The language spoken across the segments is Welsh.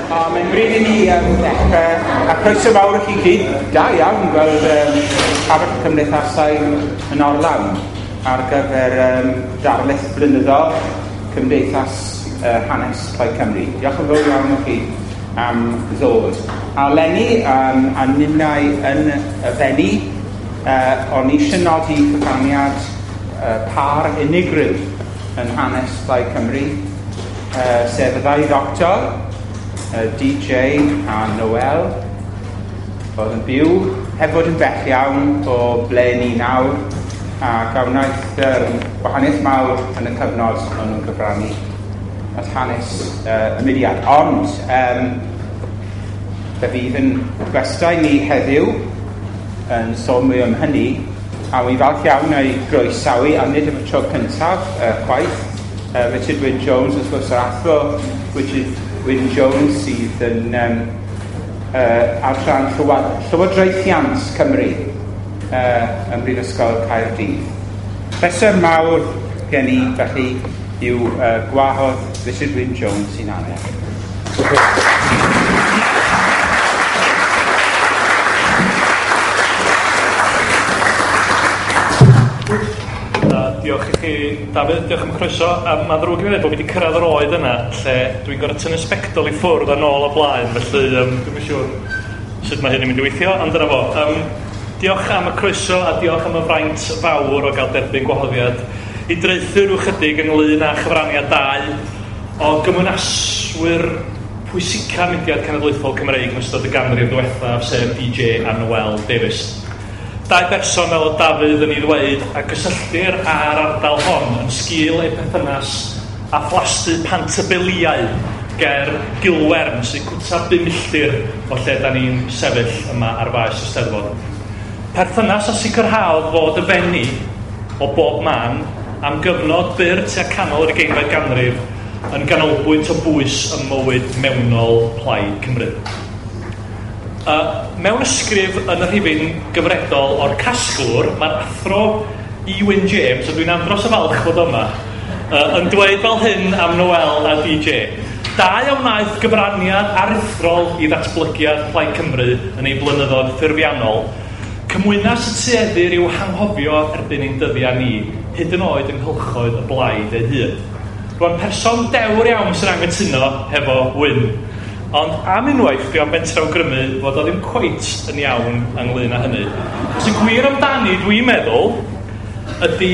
A mae'n bryd i ni ddechrau, a croeso fawr i chi gyd. Da iawn gweld Llafur Cymdeithasau yn orlawn ar gyfer darlith blynyddol Cymdeithas Hanes Plaid Cymru. Diolch yn fawr iawn i chi am ddod. A leni, a ninnau yn y Fenni, o'n i eisiau nodi cyfraniad pâr unigryw yn hanes Plaid Cymru, sef y ddau ddoctor, DJ a Noel, oedd yn byw heb fod yn bell iawn o ble ni nawr, ac a wnaeth gwahaniaeth mawr yn y cyfnod o'n nhw'n cyfrannu at hanes y mudiad. Ond fe fydd yn gwestai ni heddiw yn sôn mwy am hynny, a wy'n falch iawn o'i groesawu, a nid am y tro cyntaf chwaith, Richard Wyn Jones, wrth gwrs, yr athro Richard Wyn Jones sydd yn adran Llywodraethiant Cymru ym Mhrifysgol Caerdydd. Pleser mawr gen i, felly, yw gwahodd Richard Wyn Jones i'n annerch. Diolch i chi, Dafydd, diolch am y croeso. Mae'n ddrwg i fi ddweud bod fi wedi cyrraedd yr oed yna lle dwi'n gorfod tynnu sbectol i ffwrdd a nôl o blaen, felly dwi'm yn siŵr sut mae hyn yn mynd i weithio, ond dyna fo. Diolch am y croeso a diolch am y fraint fawr o gael derbyn gwahoddiad i draethu rhyw chydig ynglyn â chyfraniad dau o gymwynaswyr pwysica mudiad cenedlaethol Cymreig yn ystod y ganrif ddiwethaf, sef DJ a Noel Davies. Dau berson fel oedd Dafydd yn ei ddweud a gysylltir â'r ardal hon yn sgil eu perthynas â phlasty Pantybeliau ger Gilwern, sy'n cwta 5 milltir o lle da ni'n sefyll yma ar faes y Steddfod. Perthynas a sicrhaodd fod y Fenni o bob man am gyfnod byr tua canol yr 20fed ganrif yn ganolbwynt o bwys ym mywyd mewnol Plaid Cymru. Mewn ysgrif yn y rhifyn gyfredol o'r casglwr, mae'r athro Iwan James, a dwi'n andros o falch fod yma, yn dweud fel hyn am Noel a DJ. Dau a wnaeth gyfraniad aruthrol i ddatblygiad Plaid Cymru yn ei blynyddoedd ffurfiannol, cymwynas y tueddir i'w hanghofio erbyn ein dyddiau ni, hyd yn oed yng nghylchoedd y blaid ei hun. Rwan, person dewr iawn sy'n anghytuno hefo Wyn. Ond am unwaith, dwi am fentro awgrymu fod o ddim cweit yn iawn ynglyn â hynny. Achos y gwir amdani, dwi'n meddwl, ydy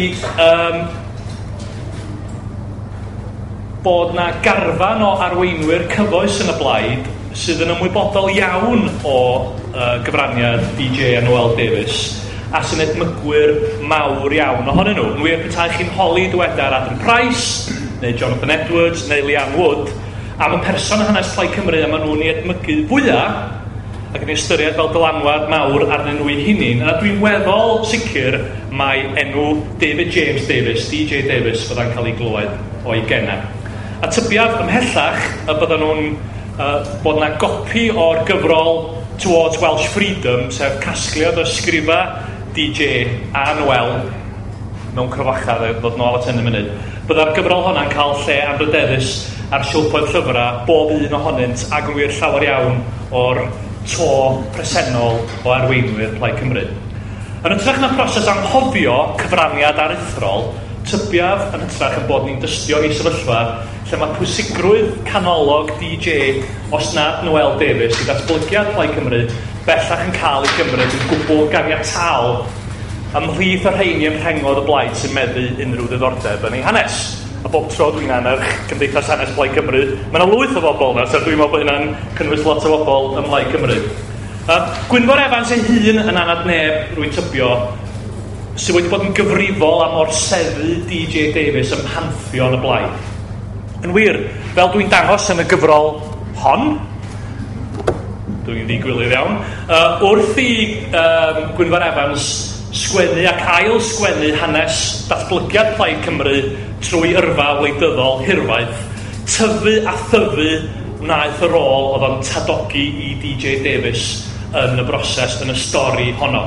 bod na garfan o arweinwyr cyfoes yn y blaid sydd yn ymwybodol iawn o gyfraniad DJ a Noel Davies, a sy'n edmygwyr mawr iawn ohonyn nhw. Yn wir, petai chi'n holi dywedar Adam Price, neu Jonathan Edwards, neu Leanne Wood, am y person yn hanes Plaid Cymru a maen nhw'n ei edmygu fwyaf ac yn ei ystyried fel dylanwad mawr arnyn nhw eu hunain. A dwi'n weddol sicr mai enw David James Davies, DJ Davies, fydda'n cael ei glywed o'i gennau. A tybiaf ymhellach y byddan nhw'n bod na gopi o'r gyfrol Towards Welsh Freedom, sef casgliad o ysgrifa DJ a Noel mewn crofachau, ddod nôl at hyn yn munud. Bydda'r gyfrol honna'n cael lle anrydeddus ar silffoedd llyfrau, bob un ohonynt, ac yn wir llawer iawn o'r to presennol o arweinwyr Plaid Cymru. Yn hytrach na proses anghofio cyfraniad aruthrol, tybiaf yn hytrach yn bod ni'n dystio i sefyllfa lle mae pwysigrwydd canolog DJ, os nad Noel Davies, i ddatblygiad Plaid Cymru bellach yn cael ei gymryd yn gwbl ganiataol ymhlith y rheini yn rhengodd y blaid sy'n meddu unrhyw ddiddordeb yn ei hanes. A bob tro dwi'n annerch Cymdeithas Hanes Plaid Cymru, mae yna lwyth o bobl yna, so dwi'n meddwl bod hynna'n cynnwys lot o bobl ym Mhlaid Cymru. Gwynfor Evans ei hun yn anad neb, rwy'n tybio, sydd wedi bod yn gyfrifol am orseddu DJ Davies ym mhantheon y blaid. Yn wir, fel dwi'n dangos yn y gyfrol hon, dwi'n ddigwilydd iawn, wrth i Gwynfor Evans sgwennu ac ail sgwennu hanes datblygiad Plaid Cymru trwy yrfa wleidyddol hirfaith, tyfu a thyfu wnaeth y rôl oedd o'n tadogi i DJ Davies yn y broses, yn y stori honno.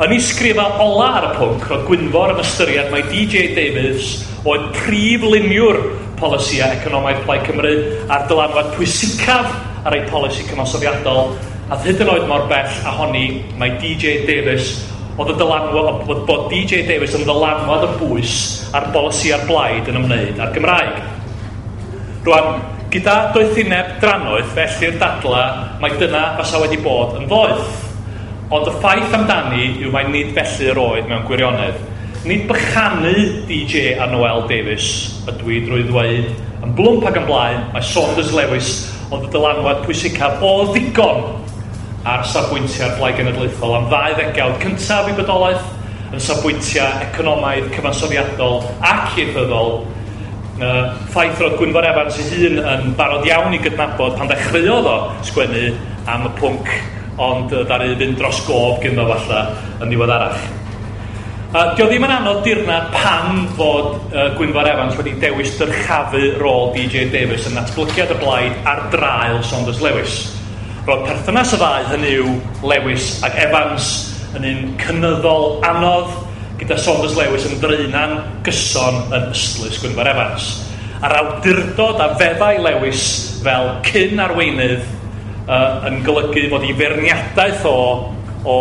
Yn ei sgrifa ola ar y pwnc, roedd Gwynfor yn ystyried mai DJ Davies oedd prif luniwr polisïau economaidd Plaid Cymru a'r dylanwad pwysicaf ar ei polisi cyfansoddiadol, a hyd yn oed mor bell a honni mae DJ Davies oedd y dylanwad, bod DJ Davies yn ddylanwad o bwys ar bolisi a'r blaid yn ymwneud â'r Gymraeg. Rwan, gyda doethineb drannoeth, felly'r dadla, mae dyna fasa wedi bod yn ddoeth. Ond y ffaith amdani yw mai nid felly yr oedd mewn gwirionedd. Nid bychanu DJ a Noel Davies ydw i drwy ddweud yn blwmp ac yn blaen, mae Saunders Lewis oedd y dylanwad pwysicaf o ddigon ar safbwyntiau'r Blaid Genedlaethol am ddau ddegawd cyntaf i bodolaeth, yn safbwyntiau economaidd, cyfansoddiadol ac ieithyddol. Ffaith roedd Gwynfor Evans ei hun yn barod iawn i gydnabod pan ddechreuodd o sgwennu am y pwnc, ond ddaru fynd dros gof gynddo falle yn ddiweddarach. Dio ddim yn anodd dirnad pam fod Gwynfor Evans wedi dewis dyrchafu rôl DJ Davies yn natblygiad y blaid ar draul Saunders Lewis. Roedd perthynas y ddau, hynny yw Lewis ac Evans, yn un cynyddol anodd, gyda Saunders Lewis yn draenan gyson yn ystlys Gwynfor Evans. A'r awdurdod a feddai Lewis fel cyn arweinydd yn golygu fod ei feirniadaeth o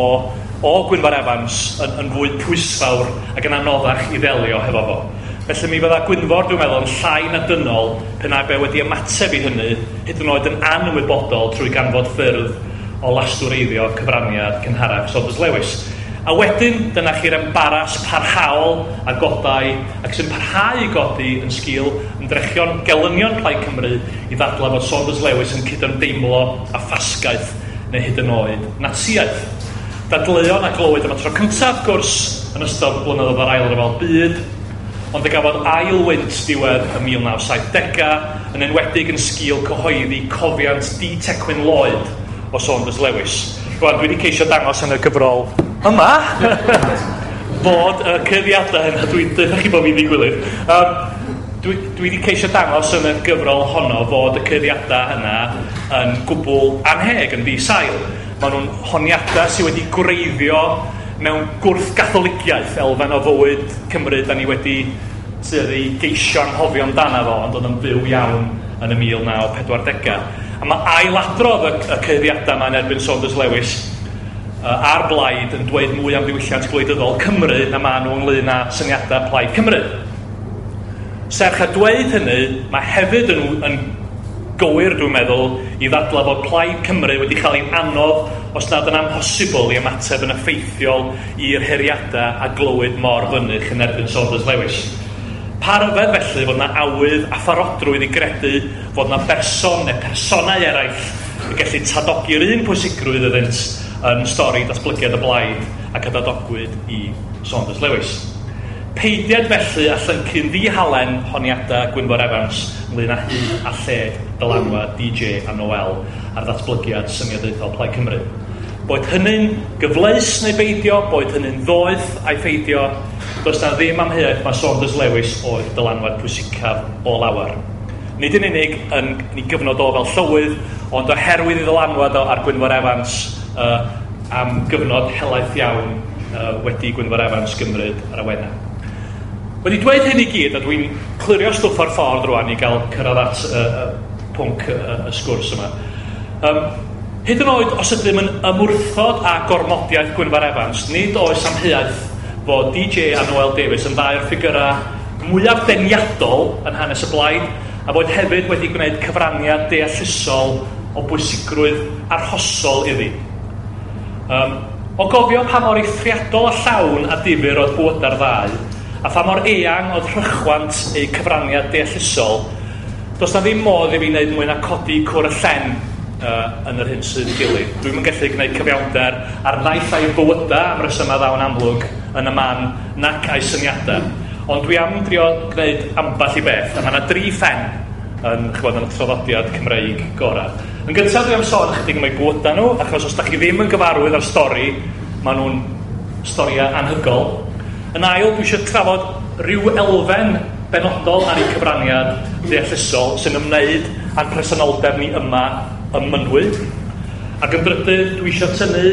Gwynfor Evans yn fwy pwysfawr ac yn anoddach i ddelio hefo fo. Felly mi fydda Gwynfor, dwi'n meddwl, yn llai na dynol pe na bai wedi ymateb i hynny, hyd yn oed yn anwybodol trwy ganfod ffyrdd o lastwreiddio cyfraniad cynharach Saunders Lewis. A wedyn, dyna chi'r embaras parhaol a godai, ac sy'n parhau i godi yn sgil ymdrechion gelynion Plaid Cymru i ddadlau bod Saunders Lewis yn cydymdeimlo â ffasgaeth neu hyd yn oed Natsiaeth. Dadleuon a glywyd am y tro cyntaf, gwrs, yn ystod blynyddoedd yr Ail Ryfel Byd, ond y gafodd ail wynt diwedd y 1970au, yn enwedig yn sgil cyhoeddi cofiant D. Tecwyn Lloyd o Saunders Lewis. Rwan, dwi wedi ceisio dangos yn y gyfrol yma fod y cyhoeddiadau yna, dwi'n dweud chi bod fi'n ddigwydd. Dwi wedi ceisio dangos yn y gyfrol honno fod y cyhoeddiadau yna yn gwbl anheg, yn ddi-sail. Maen nhw'n honiadau sydd wedi gwreiddio mewn gwrth-gatholigiaeth, elfen o fywyd Cymru da ni wedi tueddu i geisio anghofio amdano fo, ond oedd yn fyw iawn yn y 1940au. A mae ailadrodd y cyhoeddiadau yma yn erbyn Saunders Lewis a'r blaid yn dweud mwy am ddiwylliant gwleidyddol Cymru na maen nhw ynglyn â syniadau Plaid Cymru. Serch a dweud hynny, mae hefyd yn gywir, dwi'n meddwl, i ddadlau bod Plaid Cymru wedi cael ei anodd, os nad yn amhosibl, i ymateb yn effeithiol i'r heriadau a glywyd mor fynych yn erbyn Saunders Lewis. Pa ryfedd felly fod yna awydd a pharodrwydd i gredu fod yna berson neu personau eraill yn gallu tadogi'r un pwysigrwydd iddynt yn stori datblygiad y blaid ac a dadogwyd i Saunders Lewis. Peidiad felly a llyncu'n ddihalen honiadau Gwynfor Evans ynglyn â hyd a lled dylanwad DJ a Noel ar ddatblygiad syniadaethol Plaid Cymru. Boed hynny'n gyfleus neu beidio, boed hynny'n ddoeth a'i pheidio, does na ddim amheuaeth mae Saunders Lewis oedd dylanwad pwysicaf o lawer. Nid yn unig yn ei gyfnod o fel llywydd, ond oherwydd ei ddylanwad o ar Gwynfor Evans am gyfnod helaeth iawn wedi Gwynfor Evans gymryd yr awenau. Wedi dweud hyn i gyd, a dwi'n clirio stwff o'r ffordd rwan i gael cyrraedd at y pwnc y sgwrs yma. Hyd yn oed os ydym yn ymwrthod â gormodiaeth Gwynfor Evans, nid oes amheuaeth fod DJ a Noel Davies yn ddau o'r ffigurau mwyaf deniadol yn hanes y blaid, a bod hefyd wedi gwneud cyfraniad deallusol o bwysigrwydd arhosol iddi. O gofio pa mor eithriadol a llawn a difyr oedd bywydau'r ddau, a pha mor eang oedd rhychwant eu cyfraniad deallusol, does na ddim modd i fi wneud mwy na codi cwr y llen yn yr hyn sydd i gilydd. Dwi'm yn gallu gwneud cyfiawnder ar naill ai bywydau am resymau ddawn amlwg yn y man nac a'i syniadau. Ond dwi am drio gwneud ambell i beth, a mae yna dri phen yn, ch'bod, yn y traddodiad Cymreig gorau. Yn gyntaf dwi am sôn ychydig am eu bywydau nhw, achos os da chi ddim yn gyfarwydd â'r stori, maen nhw'n storiau anhygol. Yn ail, dwi eisiau trafod rhyw elfen benodol ar eu cyfraniad deallusol sy'n ymwneud â'n presenoldeb ni yma ym Mynwy. Ac yn drydydd, dwi eisiau tynnu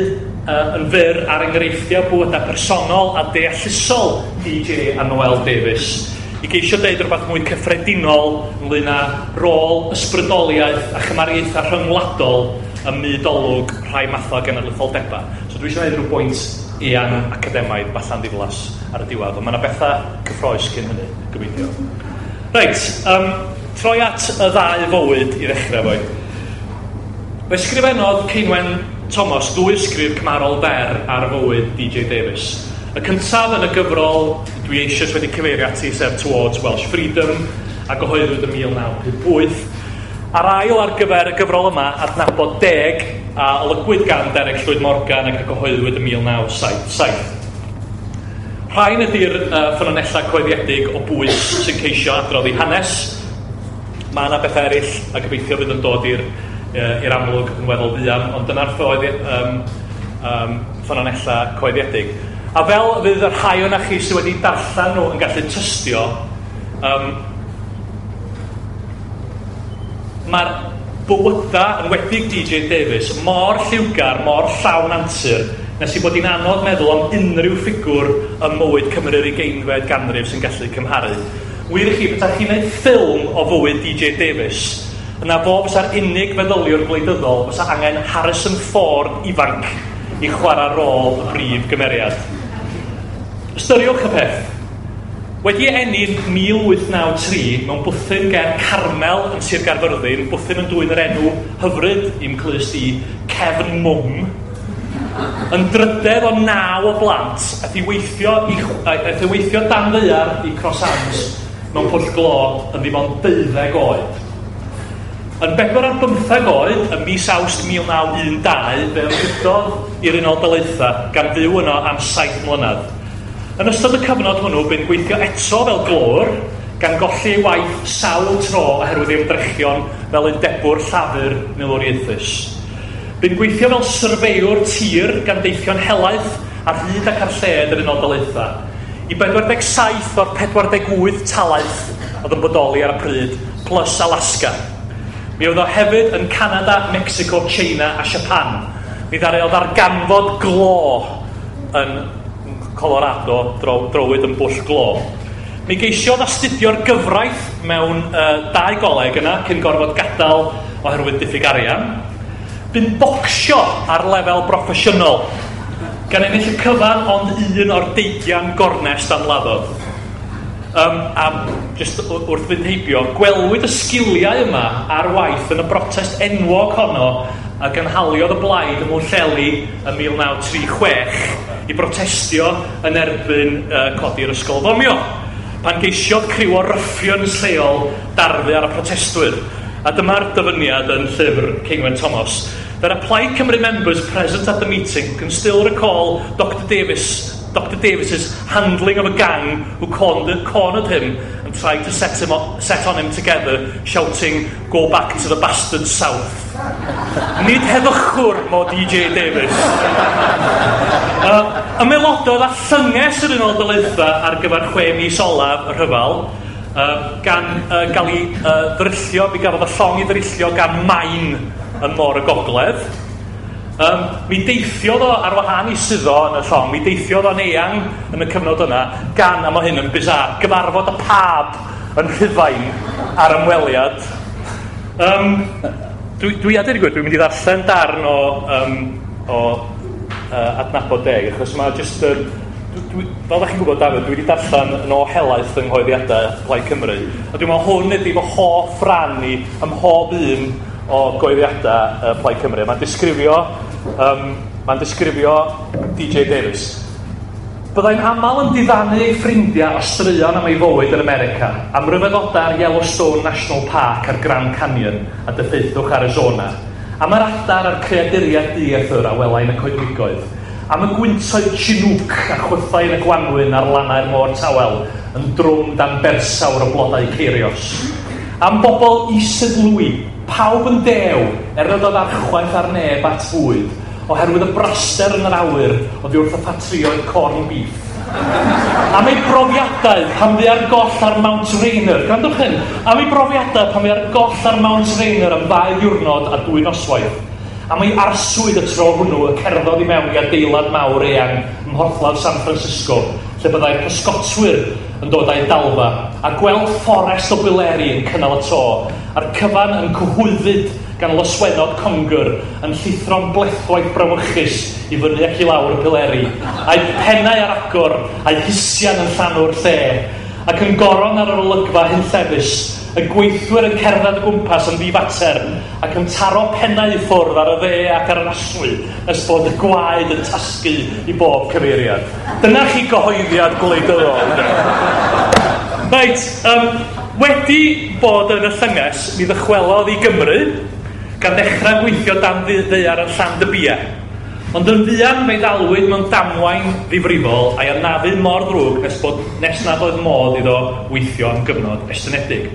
yn fyr ar enghreifftiau bywydau personol a deallusol DJ a Noel Davies i geisio deud rhywbeth mwy cyffredinol ynglyn â rôl ysbrydoliaeth a chymariaethau rhyngwladol ym myd olwg rhai mathau genedlaetholdeba. So dwi eisiau gwneud rhyw bwynt eang academaidd falla'n ddiflas ar y diwedd, ond mae yna bethau cyffroes cyn hynny, gobeithio. Reit, troi at y ddau fywyd i ddechrau fo. Fe ysgrifennodd Ceinwen Thomas ddwy ysgrif cymharol fer ar fywyd DJ Davies. Y cyntaf yn y gyfrol dwi eisoes wedi cyfeirio ati, sef Towards Welsh Freedom, a gyhoeddwyd yn 1958. A'r ail ar gyfer y gyfrol yma, Adnabod Deg, a olygwyd gan Derek Llwyd Morgan ac a gyhoeddwyd yn 1977. Rhain ydy'r ffynonellau coeddiedig o bwys sy'n ceisio adrodd ei hanes. Mae yna bethau eraill a gobeithio fydd yn dod i'r amlwg yn weddol fuan, ond dyna'r ffynonellau coeddiedig. A fel fydd y rhai o'na chi sydd wedi darllen nhw yn gallu tystio, mae'r bywyda yn wedig DJ Davies mor lliwgar, mor llawn antur, nes i bod hi'n anodd meddwl am unrhyw ffigwr ym mywyd Cymru'r 20fed ganrif sy'n gallu cymharu. Wir i chi, petai chi'n gwneud ffilm o fywyd DJ Davies, yna fo fysa'r unig feddyliwr gwleidyddol fysa angen Harrison Ford ifanc i chwarae rôl y brif gymeriad. Ystyriwch y peth. Wedi eni yn 1893 mewn bwthyn ger Carmel yn Sir Gaerfyrddin, bwthyn yn dwyn yr enw hyfryd i'm clust i, Cefn Mwng, yn drydedd o 9 o blant, aeth i weithio dan ddaear i Cross Hands mewn pwll glo yn ddim ond 12 oed. Yn 4 ar 15 oed, ym mis Awst 1912, fe ymfudodd i'r Unol Daleithiau gan fyw yno am 7 mlynedd. Yn ystod y cyfnod hwnnw, bu'n gweithio eto fel glöwr, gan golli ei waith sawl tro oherwydd ei ymdrechion fel undebwr llafur milwriaethus. Bu'n gweithio fel syrfeiwr tir gan deithio'n helaeth ar hyd ac ar lled yr Unol Daleithiau. I 47 o'r 48 talaith oedd yn bodoli ar y pryd, plus Alaska. Mi oedd o hefyd yn Canada, Mexico, China a Japan. Mi ddaru o ddarganfod glo yn Colorado, drowyd yn bwll glo. Mi geisiodd astudio'r gyfraith mewn dau goleg yna cyn gorfod gadael oherwydd diffyg arian. Bu'n bocsio ar lefel broffesiynol, gan ennill y cyfan ond un o'r 20 gornest ymladdodd. A just wrth fynd heibio, gwelwyd y sgiliau yma ar waith yn y brotest enwog honno a gynhaliodd y blaid ym Mhwllheli ym 1936 i brotestio yn erbyn codi'r ysgol fomio, pan geisiodd criw o ruffians lleol darfu ar y protestwyr. A dyma'r dyfyniad yn llyfr Ceinwen Thomas. "There are Plaid Cymru members present at the meeting who can still recall Dr Davis's handling of a gang who cornered him and tried to set on him together, shouting, 'Go back to the bastard south.'" Nid heddychwr mo DJ Davies. Ymaelododd â llynges yr Unol Daleithiau ar gyfer 6 mis olaf y rhyfel, gan gael ei ddryllio, mi gafodd y llong ei ddryllio gan maen yn Môr y Gogledd. Mi deithiodd o ar wahân i suddo yn y llong, mi deithiodd o'n eang yn y cyfnod yna, gan, a mae hyn yn bizarre, gyfarfod y Pab yn Rhufain ar ymweliad. Dwi a dweud y gwir, dwi'n mynd i ddarllen darn o Adnabod Deg, achos mae just... Dwi, fel da chi'n gwybod, Dafydd, dwi wedi darllen yn o helaeth yng nghoeddiadau Plaid Cymru. A dwi'n meddwl hwn ydy fy hoff ran i ym mhob un o goeddiadau Plaid Cymru. Mae'n disgrifio DJ Davies. "Byddai'n aml yn diddanu ei ffrindiau o straeon am ei fywyd yn America, am ryfeddodau'r Yellowstone National Park a'r Grand Canyon a diffeithwch Arizona, am yr adar a'r creaduriaid dieithr a welai yn y coedwigoedd, am y gwyntoedd Chinook a chwythau yn y gwanwyn ar lannau'r môr tawel yn drwm dan bersawr o blodau ceirios. Am bobl Isidlwy, pawb yn dew, er nad oedd archwaeth ar neb at fwyd, oherwydd y braster yn yr awyr oddi wrth y ffatrïoedd corn beef. Am ei brofiadau pan fu ar goll ar Mount Rainier," gwrandwch hyn, "am ei brofiadau pan fu ar goll ar Mount Rainier am 2 ddiwrnod a 2 noswaith. Am ei arswyd y tro hwnnw y cerddodd i mewn i adeilad mawr eang ym mhorthladd San Francisco, lle byddai pysgotwyr yn dod â'i dalfa, a gweld fforest o bileri yn cynnal y to, a'r cyfan yn cyhwyddyd gan lyswennod congr yn llithro'n blethwaith brawychus i fyny ac i lawr y pileri, a'u pennau ar agor, a'u hisian yn llanw'r lle, ac yn goron ar yr olygfa hunllefus, y gweithwyr yn cerdded o gwmpas yn ddifater ac yn taro pennau i ffwrdd ar y dde ac ar yr aswy nes bod y gwaed yn tasgu i bob cyfeiriad. Dyna chi gyhoeddiad gwleidyddol. Reit, wedi bod yn y llynges, mi ddychwelodd i Gymru, gan ddechrau gweithio dan ddaear yn Llandybie. Ond yn fuan fe'i ddalwyd mewn damwain ddifrifol a'i anafu mor ddrwg nes nad oedd modd iddo weithio am gyfnod estynedig.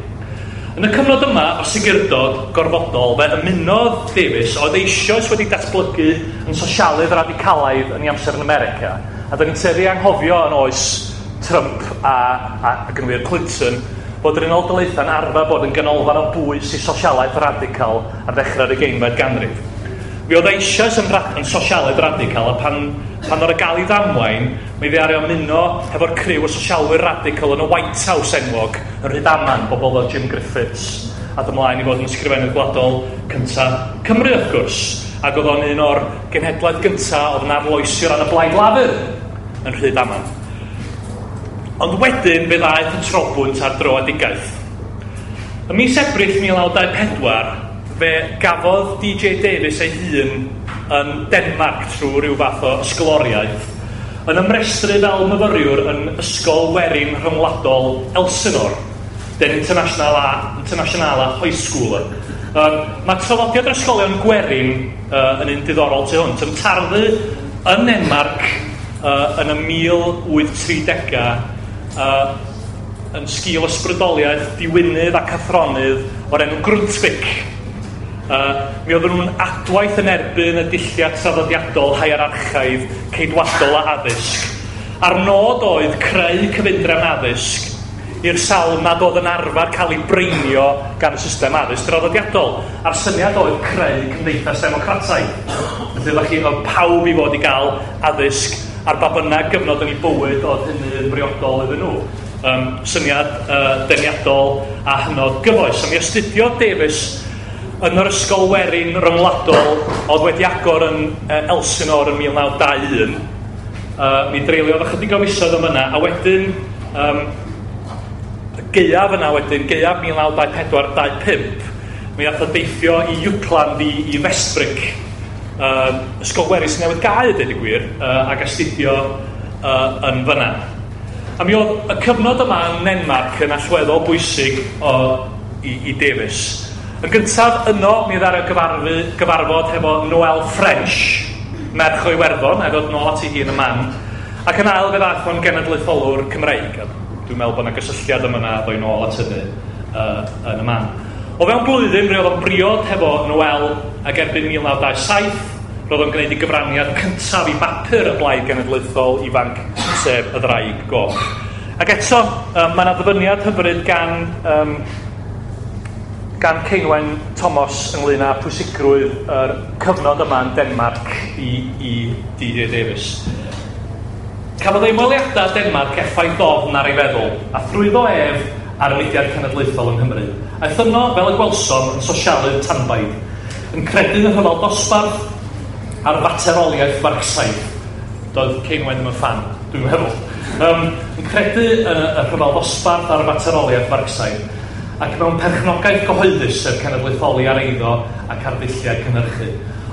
Yn y cyfnod yma o segurdod gorfodol, fe ymunodd Davies, oedd eisoes wedi datblygu yn sosialydd radicalaidd yn ei amser yn America, a da ni'n tueddu anghofio yn oes Trump a gynwyr Clinton, bod yr Unol Daleithiau'n arfer bod yn ganolfan o bwys i sosialaeth radical ar ddechrau'r 20fed ganrif. Mi oedd eisoes yn sosialydd radical, a pan oedd y gael ei ddamwain, mi ddaru ymuno hefo'r criw o sosialwyr radical yn y White House enwog, yn Rhydaman, bobl fel Jim Griffiths, a ymlaen i fod yn ysgrifennydd gwladol cynta Cymru, wrth gwrs. Ac oedd o'n un o'r genhedlaeth gynta oedd yn arloesi o ran y Blaid Lafur yn Rhydaman. Ond wedyn fe ddaeth y trobwynt ar dröedigaeth. Ym mis Ebrill 1924, fe gafodd DJ Davies ei hun yn Denmark trwy ryw fath o ysgoloriaeth, yn ymrestru fel myfyriwr yn Ysgol Werin Rhyngwladol Elsinore, den Internationale Højskole. Mae traddodiad yr ysgolion gwerin yn un diddorol tu hwnt. Yn tarddu yn Denmark yn y 1830au, yn sgil ysbrydoliaeth diwinydd ac athronydd o'r enw Grundtvig. Mi oedden nhw'n adwaith yn erbyn y dulliau traddodiadol hierarchaidd ceidwadol a addysg. A'r nod oedd creu cyfundrefn addysg i'r sawl nad oedd yn arfer cael ei breinio gan y system addysg draddodiadol. A'r syniad oedd creu cymdeithas democrataidd. Felly oeddech chi, oedd pawb i fod i gael addysg ar ba bynnag gyfnod yn ei bywyd oedd hynny yn briodol iddyn nhw. Syniad deniadol a hynod gyfoes. A mi astudiodd Davies yn yr Ysgol Werin Ryngwladol oedd wedi agor yn Elsinore yn 1921. Mi dreuliodd ychydig o fisoedd am yna, a wedyn gaeaf yna wedyn, gaeaf 1924-25, mi ath o deithio i Jutland i Vestbrik, ysgol werin sy'n newydd gau, dweud y gwir, ac astudio yn fyna. A mi oedd y cyfnod yma yn Denmark yn allweddol bwysig i Davies. Yn gyntaf yno, mi ddaru gyfarfod hefo Noel French, merch o Iwerddon, a ddod nôl at ei hun y man. Ac yn ail fe ddaeth o'n genedlaetholwr Cymreig. A dwi'n meddwl bod yna gysylltiad yma na ddoi nôl at hynny yn y man. O fewn blwyddyn, roedd o'n briod hefo Noel, ac erbyn 1927, roedd o'n gwneud ei gyfraniad cyntaf i bapur y Blaid Genedlaethol Ifanc, sef y Ddraig Goch. Ac eto, mae yna ddyfyniad hyfryd gan Ceinwen Thomas ynglyn â pwysigrwydd yr cyfnod yma yn Denmark i DJ Davies. Cafodd ei ymweliadau Denmark effaith ddofn ar ei feddwl, a thrwyddo ef ar y mudiad cenedlaethol yng Nghymru. Aeth yno, fel y gwelsom, yn sosialydd tanbaid, yn credu yn y rhyfel dosbarth a'r fateroliaeth Marcsaidd. Doedd Ceinwen ddim yn ffan, dwi'n meddwl. Yn credu yn y rhyfel dosbarth a'r fateroliaeth Marcsaidd, ac mewn perchnogaeth gyhoeddus sef cenedlaetholi ar eiddo ac ar ddulliau cynhyrchu.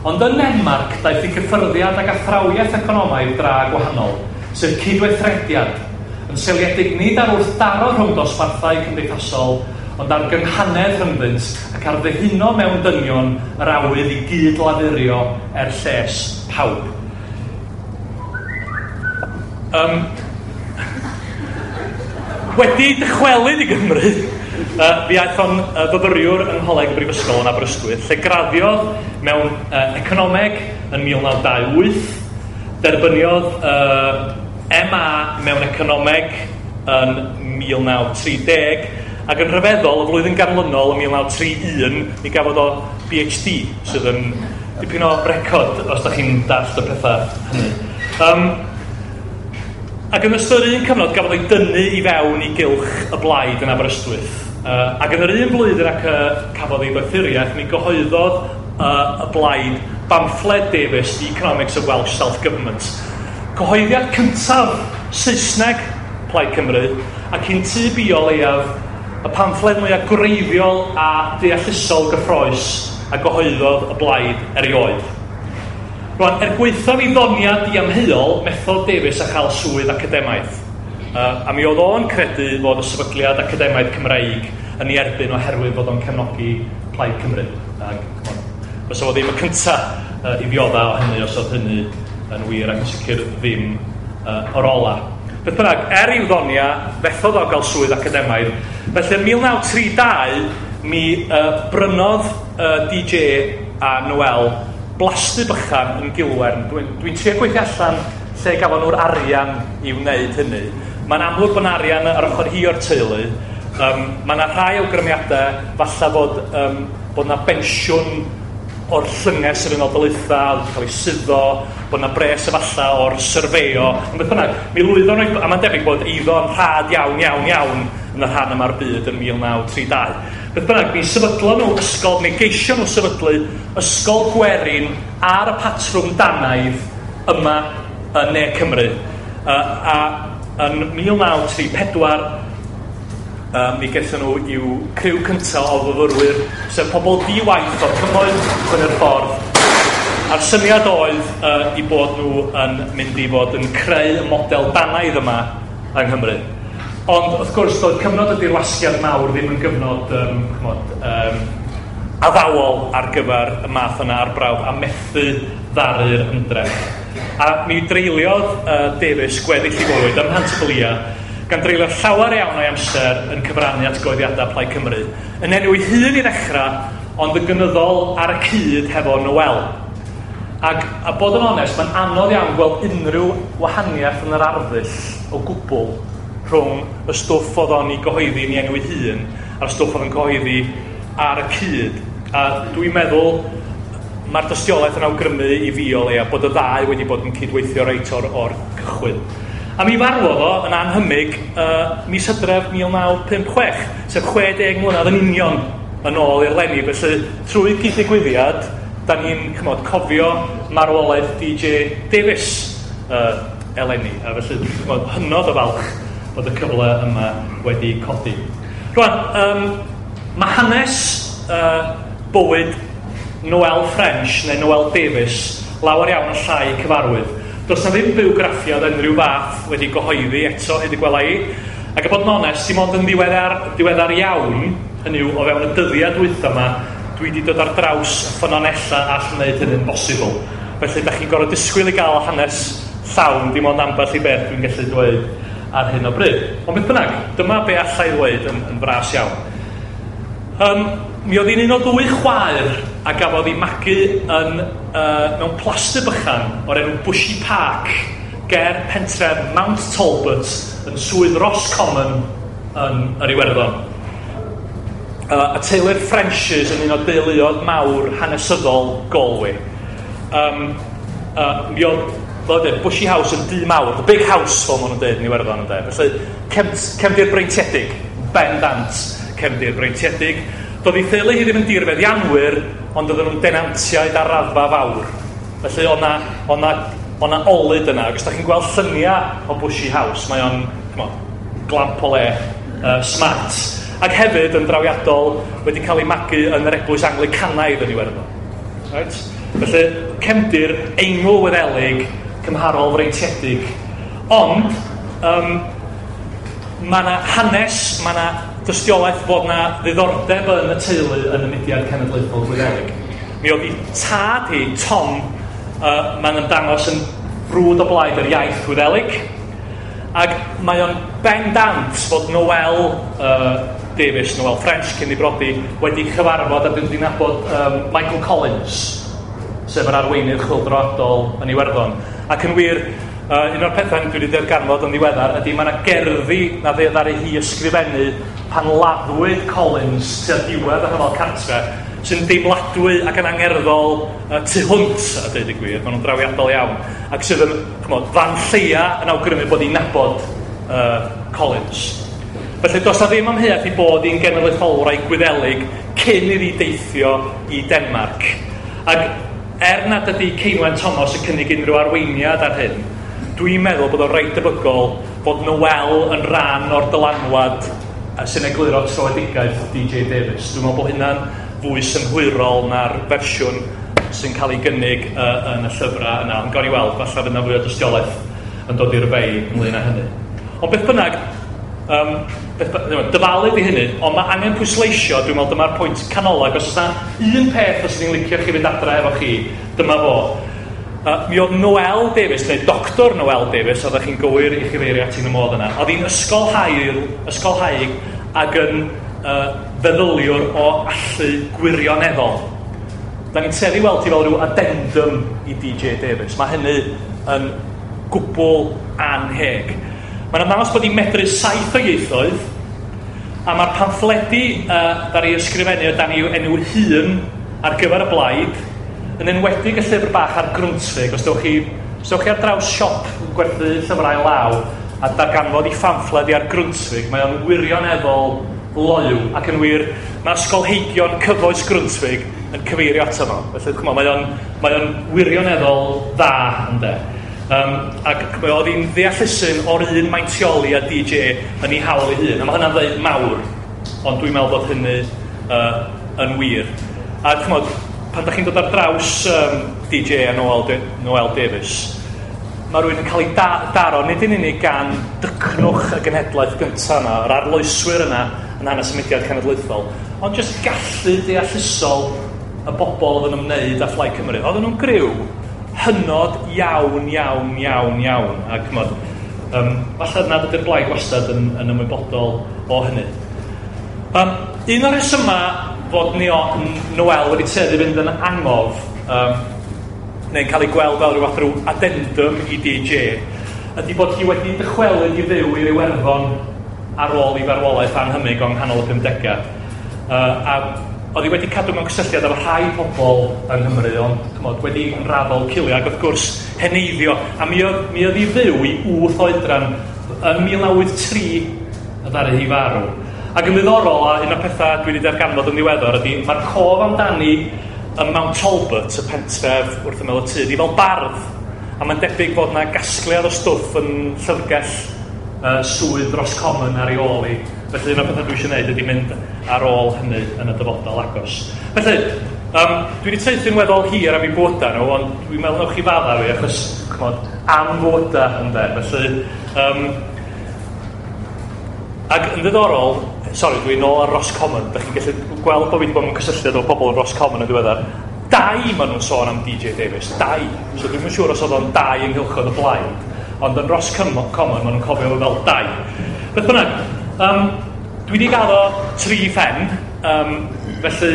Ond yn Denmark daeth i gyffyrddiad ag athrawiaeth economaidd dra gwahanol, sef cydweithrediad, yn seiliedig nid ar wrthdaro rhwng dosbarthau cymdeithasol, ond ar gynghanedd rhyngddynt ac ar ddihuno mewn dynion yr awydd i gyd-lafurio er lles pawb. Wedi dychwelyd i Gymru, fi aeth o'n fyfyriwr yng Ngholeg y Brifysgol yn Aberystwyth, lle graddiodd mewn economeg yn 1928, derbyniodd MA mewn economeg yn 1930, ac yn rhyfeddol, y flwyddyn ganlynol yn 1931, mi gafodd o PhD, sydd yn dipyn o record os da chi'n dallt y pethau hynny. Ac yn ystod yr un cyfnod gafodd ei dynnu i fewn i gylch y blaid yn Aberystwyth. Ac yn yr un blwyddyn ac cafodd ei ddoethuriaeth, mi gyhoeddodd y blaid bamffled Davies, The Economics of Welsh Self-Government. Cyhoeddiad cyntaf Saesneg Plaid Cymru, ac un tu bio leiaf y pamffled mwyaf gwreiddiol a deallusol gyffrous a gyhoeddodd y blaid erioed. Rwan, gwaethaf ei ddoniau diamheuol, methodd Davies a chael swydd academaidd. A mi oedd o'n credu fod y sefydliad academaidd Cymreig yn ei erbyn oherwydd fod o'n cefnogi Plaid Cymru. Ac, fysa fo ddim y cyntaf i ddiodda o hynny os oedd hynny yn wir, ac yn sicr ddim o'r ola. Beth bynnag, i'w ddonia, fethodd o gael swydd academaidd. Felly yn 1932, mi brynodd DJ a Noel blasty bychan yn Gilwern. Dwi'n trio gweithio allan lle gafon nhw'r arian i wneud hynny. Mae'n amlwg bod arian ar ochr hi o'r teulu. Mae yna rhai awgrymiadau, falle bod yna bensiwn o'r llynges yr Unol Daleithiau, wedi cael ei suddo, bod yna bres efallai o'r syrfeo. Ond beth bynnag, mi lwyddon nhw, a mae'n debyg bod eiddo'n rhad iawn, iawn, iawn yn y rhan yma'r byd yn 1932. Beth bynnag, mi sefydlon nhw ysgol, mi geisio nhw sefydlu ysgol gwerin ar y patrwm Danaidd yma yn Ne Cymru. A yn 1934, mi gaethon nhw i'w criw cyntaf o fyfyrwyr, sef pobl di-waith o'r cymoedd fyny'r ffordd. A'r syniad oedd i bod nhw yn mynd i fod yn creu y model Danaidd yma yng Nghymru. Ond, wrth gwrs, doedd cyfnod y dirwasgiad mawr ddim yn gyfnod addawol ar gyfer y math yna arbrawf a methu ddaru'r ymdrech. A mi dreuliodd Davies gweddill ei fywyd ym Mhant-y-blia, gan dreulio llawer iawn o'i amser yn cyfrannu at gyhoeddiadau Plaid Cymru. Yn enw ei hun i ddechrau, ond yn gynyddol ar y cyd hefo Noel. Ac, a bod yn onest, mae'n anodd iawn gweld unrhyw wahaniaeth yn yr arddull o gwbl rhwng y stwff oedd o'n ei gyhoeddi yn ei enw ei hun a'r stwff oedd yn cyhoeddi ar y cyd. A dwi'n meddwl mae'r dystiolaeth yn awgrymu i fi o leia bod y ddau wedi bod yn cydweithio reit o'r cychwyn. A mi farwodd o yn anhymig mis Hydref 1956, sef 60 mlynedd yn union yn ôl i'r leni. Felly, trwy gyd-ddigwyddiad, da ni'n cofio marwolaeth DJ Davies eleni. A felly, dwi'n hynod o falch bod y cyfle yma wedi codi. Rwan, mae hanes bywyd Noel French neu Noel Davies lawer iawn yn llai cyfarwydd. Does na ddim bywgraffiad unrhyw fath wedi gyhoeddi eto, hyd y gwela i. Ac a bod yn onest, dim ond yn diweddar iawn, hynny yw, o fewn y dyddiau dwytha yma, dwi wedi dod ar draws ffynonellau all wneud hynny'n bosibl. Felly, da chi'n gorfod disgwyl i gael hanes llawn, dim ond ambell i beth dwi'n gallu dweud ar hyn o bryd. Ond beth bynnag, dyma be allai ddweud yn fras iawn. Mi oedd hi'n un o ddwy chwaer a gafodd ei magu yn, mewn plasty bychan o'r enw Bushy Park ger pentref Mount Talbot yn swydd Roscommon yn yr Iwerddon. Y teulu'r Frenches yn un o deuluoedd mawr hanesyddol Galway. Mi oedd, fel dweud, Bushy House yn dŷ mawr, the big house fel maen nhw'n dweud yn Iwerddon ynde. Felly cefndir breintiedig, bendant cefndir breintiedig. Doedd ei theulu hi ddim yn dirfeddianwyr, ond oedden nhw'n denantiaid ar raddfa fawr. Felly oedd 'na olud yna. Ac os da chi'n gweld lluniau o Bushy House, mae o'n glamp o le, smart. Ac hefyd yn drawiadol wedi cael ei magu yn yr eglwys Anglicanaidd yn Iwerddon. Right? Felly cefndir Eingl-Wyddelig cymharol freintiedig. Ond mae yna hanes, mae yna dystiolaeth fod yna ddiddordeb yn y teulu yn y mudiad cenedlaethol Gwyddelig. Mi oedd ei tad hi, Tom, mae'n ymddangos yn frwd o blaid yr iaith Wyddelig. Ac mae o'n bendant fod Noel Davies, Noel French cyn ei brodi, wedi chyfarfod a wedi nabod Michael Collins, sef yr arweinydd chwyldroadol yn Iwerddon. Ac yn wir, un o'r pethau dwi wedi darganfod yn ddiweddar ydy mae yna gerddi na ddaru hi ysgrifennu pan laddwyd Collins tua diwedd y rhyfel cartre. sy'n deimladwy ac yn angerddol tu hwnt, a dweud y gwir, maen nhw'n drawiadol iawn, ac sydd yn, ch'mod, fan lleia yn awgrymu bod hi'n nabod Collins. Felly, does na ddim amheuaeth i bod hi'n genedlaetholwraig Gwyddelig cyn iddi deithio i Denmarc. Ac er nad ydy Ceinwen Thomas yn cynnig unrhyw arweiniad ar hyn, dwi'n meddwl bod o'n reit debygol bod Noel yn rhan o'r dylanwad sy'n egluro troedigaeth DJ Davies. Dwi'n meddwl bod hynna'n fwy synhwyrol na'r fersiwn sy'n cael ei gynnig yn y llyfrau yna. Ond gawn ni weld, falle fydd yna fwy o dystiolaeth yn dod i'r fei ynglyn â hynny. Ond beth bynnag, dyfalu di hynny, ond mae angen pwysleisio, dwi'n meddwl dyma'r pwynt canolog, os oes yna un peth os ydyn ni'n licio chi fynd adre efo chi, dyma fo. Mi oedd Noel Davies, neu Dr Noel Davies, oeddech chi'n gywir i chyfeirio ati yn y modd yna, oedd hi'n ysgolhaig ac yn feddyliwr o allu gwirioneddol. Da ni'n tueddu weld hi fel rhyw addendum i DJ Davies. Mae hynny yn gwbl anheg. Mae'n ymddangos bod hi'n medru 7 o ieithoedd, a mae'r pamffledi ddaru ysgrifennu o dan i'w enw hun ar gyfer y blaid, yn enwedig y llyfr bach ar Grundtvig. Os dewch chi ar draws siop yn gwerthu llyfrau law a darganfod i phamffled ar Grundtvig, mae o'n wirioneddol loyw, ac yn wir, mae ysgolheigion cyfoes Grundtvig yn cyfeirio ato fo. Felly, ch'mo, mae o'n wirioneddol dda, ynde. Ac oedd hi'n ddeallusyn o'r un maintioli a DJ yn ei hawl ei hun. A mae hynna'n ddeud mawr, ond dwi'n meddwl bod hynny yn wir. A ch'mod, pan da chi'n dod ar draws DJ a Noel Davies, mae rhywun yn cael ei daro nid yn unig gan dycnwch y genhedlaeth gyntaf yna, yr arloeswyr yna yn hanes y mudiad cenedlaethol, ond jyst gallu deallusol y bobl oedd yn ymwneud â Phlaid Cymru. Oedden nhw'n griw hynod iawn, iawn, iawn, iawn. A ch'mod, falle nad ydy'r blaid wastad yn ymwybodol o hynny. Un o'r rhesymau fod Noel wedi tueddu fynd yn angof, neu'n cael ei gweld fel rhyw fath rhyw addendum i DJ, ydy bod hi wedi dychwelyd i fyw i'r Iwerddon ar ôl i farwolaeth anhymig o'n nghanol y 50au. A oedd hi wedi cadw mewn cysylltiad efo rhai pobl yng Nghymru, ond ch'mod, wedi yn raddol cilio, ac wrth gwrs heneiddio. A mi oedd hi fyw i 8 oedran yn 1983 y ddaru hi farw. Ac yn ddiddorol, a un o'r pethau dwi wedi darganfod yn ddiweddar ydy, mae'r cof amdani ym Mount Talbot, y pentref wrth ymyl y tŷ, di fel bardd. A mae'n debyg fod yna gasgliad o stwff yn llyfrgell swydd Roscommon ar ei ôl hi. Felly un o'r pethau dwi eisiau gwneud ydy mynd ar ôl hynny yn y dyfodol agos. Felly, dwi wedi traethu'n weddol hir am eu bywydau nhw, ond dwi'n meddwl newch chi fadda fi, achos, ch'mod, am fywydau ynde. Felly, ac yn ddiddorol, sori, dwi'n nôl ar Roscommon, da chi'n gallu gweld bod fi wedi bod mewn cysylltiad efo pobl yn Roscommon yn ddiweddar. 2 maen nhw'n sôn am DJ Davies, 2. So dwi'm yn siŵr os oedd o'n 2 ynghylch oedd y blaid, ond yn Roscommon maen nhw'n cofio fo fel 2. Beth bynnag, dwi wedi gaddo 3 phen, felly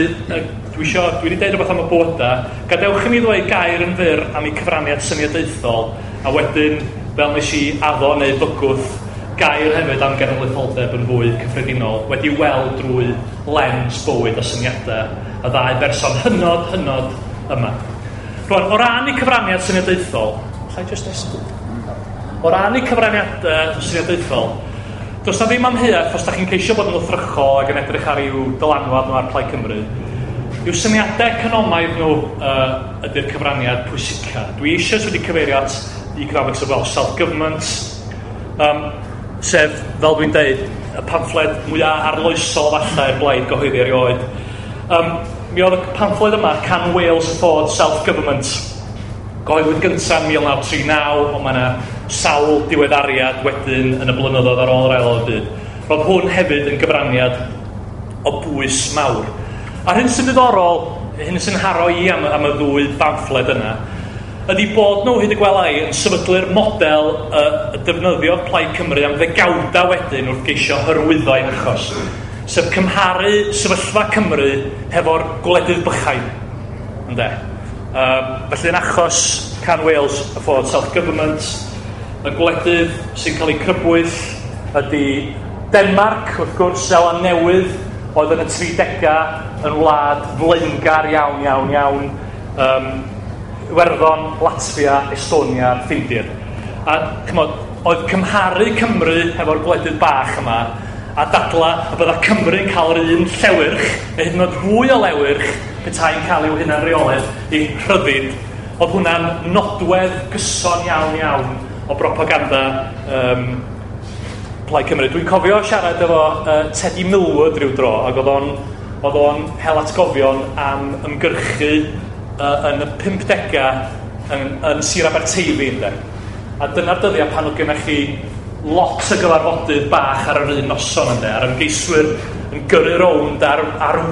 dwi wedi deud rhywbeth am y bywydau. Gadewch i mi ddweud gair yn fyr am eu cyfraniad syniadaethol, a wedyn, fel nes i addo neu bygwth, gair hefyd am genedlaetholdeb yn fwy cyffredinol, wedi weld drwy lens bywyd a syniadau y ddau berson hynod, hynod yma. Rwan, o ran eu cyfraniad syniadaethol, allai jyst estyn? O ran eu cyfraniad syniadaethol, does na ddim amheuaeth os da chi'n ceisio bod yn wrthrychol ac yn edrych ar i'w dylanwad nhw ar Plaid Cymru, yw syniadau economaidd nhw ydy'r cyfraniad pwysica. Dwi eisoes wedi cyfeirio at Economics of Welsh Self-Government, sef, fel dwi'n deud, y pamffled mwyaf arloesol falle i'r blaid gyhoeddi erioed. Mi oedd y pamffled yma, Can Wales Afford Self-Government, gyhoeddwyd gyntaf yn 1939, ond mae yna sawl diweddariad wedyn yn y blynyddoedd ar ôl yr Ail Ryfel Byd. Roedd hwn hefyd yn gyfraniad o bwys mawr. A'r hyn sy'n ddiddorol, hyn sy'n haro i am y ddwy bamffled yna, ydy bod nhw, hyd y gwela i, yn sefydlu'r model y defnyddiodd Plaid Cymru am ddegawdau wedyn wrth geisio hyrwyddo ei achos, sef cymharu sefyllfa Cymru hefo'r gwledydd bychain. Ynde? Felly yn achos Can Wales Afford Self-Government, y gwledydd sy'n cael eu crybwyll ydy Denmarc, wrth gwrs, Seland Newydd, oedd yn y 30au yn wlad flaengar iawn, iawn, iawn, Iwerddon, Latfia, Estonia, Ffindir. A chymod, oedd cymharu Cymru hefo'r gwledydd bach yma a dadla y bydda Cymru'n cael yr un llewyrch, neu hyd yn oed fwy o lewyrch, petai'n cael i'w hunan reolaeth, i rhyddid, oedd hwnna'n nodwedd gyson iawn iawn o bropaganda Plaid Cymru. Dwi'n cofio siarad efo Teddy Millward rhyw dro, ac oedd o'n hel atgofion am ymgyrchu yn y 50au yn Sir Aberteifi, ynde. A dyna'r dyddiau pan oedd gennych chi lot o gyfarfodydd bach ar yr un noson, ynde, a'r ymgeiswyr yn gyrru rownd ar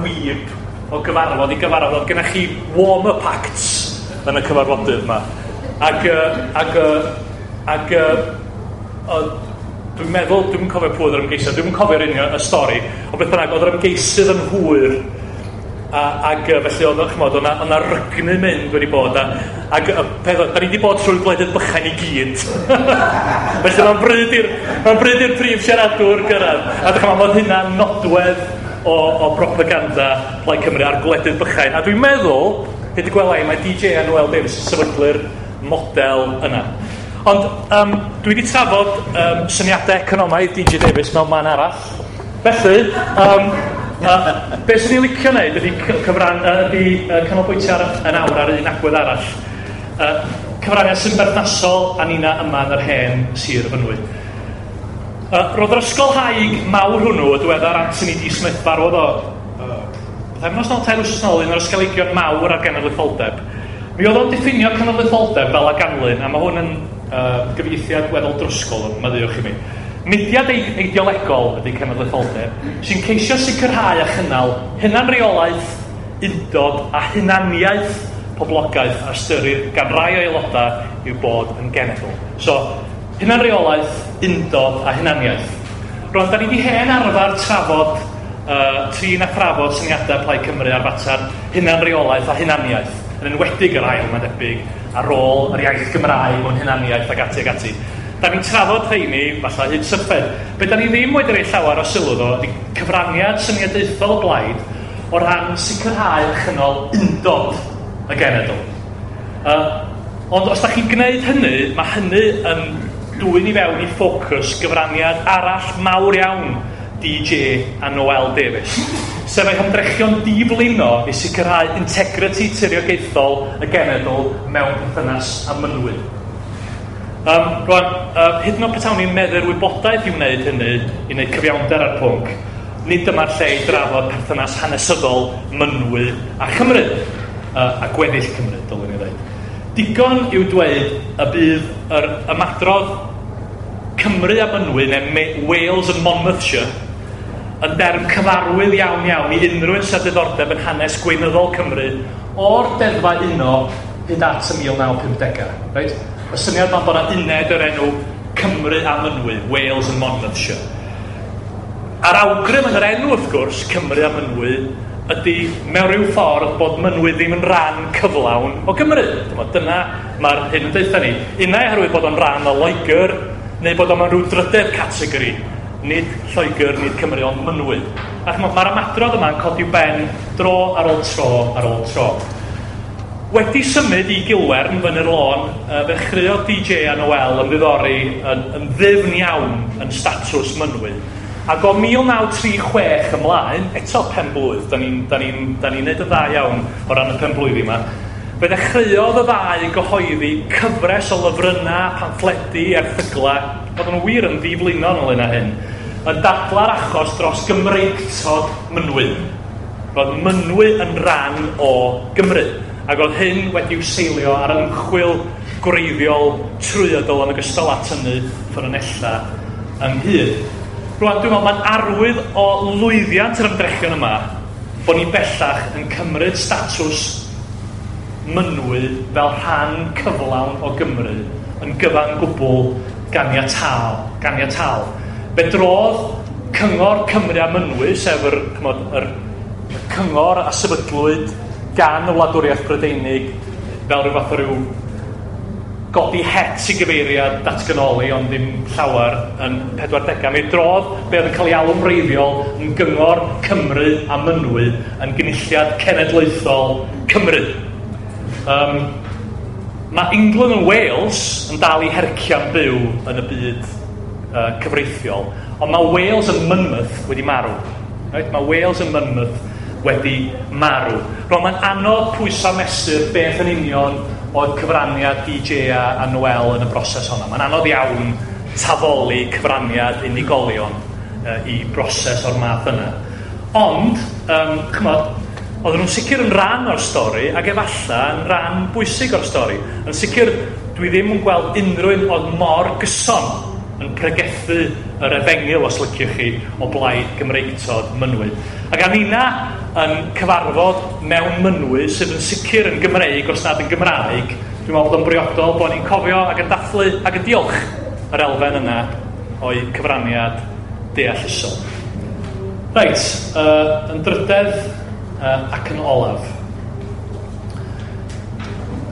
wyb o gyfarfod i gyfarfod. Oedd gennych chi warm-up acts yn y cyfarfodydd yma. Ac dwi'n meddwl, dwi'n cofio pwy oedd yr ymgeisydd, dwi'n cofio'r union y stori, ond beth bynnag, oedd yr ymgeisydd yn hwyr, ac felly oedd, chymod, oedd yna rygnu mynd wedi bod, ac y peth oedd, da ni wedi bod trwy'r gwledydd bychain i gyd. Felly mae'n bryd i'r prif siaradwr gyrraedd. A chymod, oedd hynna'n nodwedd o propaganda Plaid Cymru a'r gwledydd bychain. A dwi'n meddwl, hyd y gwela i, mae DJ a Noel Davies yn sefydlu'r model yna. Ond dwi wedi trafod syniadau economaidd DJ Davies mewn man arall. Felly, be sy'n ni'n licio wneud ydy canolbwyntio yn awr ar un agwedd arall. Cyfraniad sy'n berthnasol â nina yma yn yr hen Sir Fynwy. Roedd yr ysgolhaig mawr hwnnw, y diweddar Anthony D. Smith, farwodd o pythefnos nôl, 3 wythnos nôl, un o'r ysgolheigion mawr ar genedlaetholdeb. Mi oedd o'n diffinio cenedlaetholdeb fel a ganlyn, a mae hwn yn gyfieithiad weddol drwsgol, maddeuwch i mi. Mudiad ideolegol ydy cenedlaetholdeb, sy'n ceisio sicrhau a chynnal hunanreolaeth, undod a hunaniaeth poblogaeth a ystyrir gan rai o aelodau i'w bod yn genedl. So, hunanreolaeth, undod a hunaniaeth. Rwan, da ni wedi hen arfer trafod, trin a thrafod syniadau Plaid Cymru ar fater hunanreolaeth a hunaniaeth, yn enwedig yr ail, mae'n debyg, ar ôl yr iaith Gymraeg mewn hunaniaeth ac ati ac ati. Da ni'n trafod rheini, falle hyd syffed. Be da ni ddim wedi rhoi llawer o sylw ddo, ydy cyfraniad syniadaethol y blaid o ran sicrhau a chynnal undod y genedl. Ond os da chi'n gwneud hynny, mae hynny yn dwyn i fewn i ffocws gyfraniad arall mawr iawn DJ a Noel Davies, sef ei hymdrechion diflino i sicrhau integrity tiriogaethol y genedl mewn perthynas â Mynwy. Rwan, hyd yn oed petawn ni'n meddu'r wybodaeth i wneud hynny, i wneud cyfiawnder ar pwnc, nid dyma'r lle i drafod perthynas hanesyddol Mynwy a Chymru, a gweddill Cymru, dylwn i ddweud. Digon yw dweud y bydd yr ymadrodd Cymru a Mynwy, neu Wales and Monmouthshire, yn derm cyfarwydd iawn iawn i unrhyw un sydd â diddordeb yn hanes gweinyddol Cymru o'r deddfau uno hyd at y 1950au. Reit? Y syniad yma bod yna uned o'r enw Cymru a Mynwy, Wales and Monmouthshire. A'r awgrym yn yr enw, wrth gwrs, Cymru a Mynwy, ydy mewn rhyw ffordd bod Mynwy ddim yn rhan cyflawn o Gymru. Dyna mae'r hyn yn deutha ni. Unai oherwydd bod o'n rhan o Loegr, neu bod o'n mewn rhyw drydedd categori, nid Lloegr, nid Cymru, ond Mynwy. Ac mae'r ymadrodd yma'n codi ben dro ar ôl tro ar ôl tro. Wedi symud i Gilwern fyny'r lôn, fe ddechreuodd DJ a Noel ymddiddori yn ddyfn iawn yn statws Mynwy. Ac o 1936 ymlaen, eto penblwydd, da ni'n neud yn dda iawn o ran y penblwyddi yma, fe ddechreuodd y ddau gyhoeddi cyfres o lyfrynnau, pamffledi, erthyglau, oedden nhw wir yn ddiflino ynglyn â hyn, yn dadla'r achos dros Gymreictod Mynwy. Roedd Mynwy yn rhan o Gymru, ac oedd hyn wedi'w seilio ar ymchwil gwreiddiol trwyadl yn ogystal â tynnu ffynonellau ynghyd. Rwan, dwi'n meddwl mae'n arwydd o lwyddiant yr ymdrechion yma bod ni bellach yn cymryd statws Mynwy fel rhan cyflawn o Gymru yn gyfan gwbl ganiataol. Fe drodd Cyngor Cymru a Mynwy, sef yr cyngor a sefydlwyd gan y Wladwriaeth Brydeinig fel rhyw fath o ryw godi het i gyfeiriad datganoli, ond ddim llawer yn 40au. Mi drodd be oedd yn cael ei alw'n wreiddiol yn Gyngor Cymru a Mynwy yn Gynulliad Cenedlaethol Cymru. Mae England and Wales yn dal i hercian byw yn y byd cyfreithiol, ond mae Wales and Monmouth wedi marw. Right? Mae Wales and Monmouth wedi marw. Rwan, mae'n anodd pwyso mesur beth yn union oedd cyfraniad DJ a Noel yn y broses honna. Mae'n anodd iawn tafoli cyfraniad unigolion i broses o'r math yna. Ond, chymod, oedden nhw'n sicr yn rhan o'r stori ac efallai yn rhan bwysig o'r stori. Yn sicr, dwi ddim yn gweld unrhyw un oedd mor gyson yn pregethu yr efengyl, os liciwch chi, o blaid Gymreictod Mynwy. Ac a nina yn cyfarfod mewn Mynwy sydd yn sicr yn Gymreig, os nad yn Gymraeg, dwi'n meddwl bod o'n briodol bod ni'n cofio ac yn dathlu ac yn diolch yr elfen yna o'i cyfraniad deallusol. Reit, yn drydedd ac yn olaf.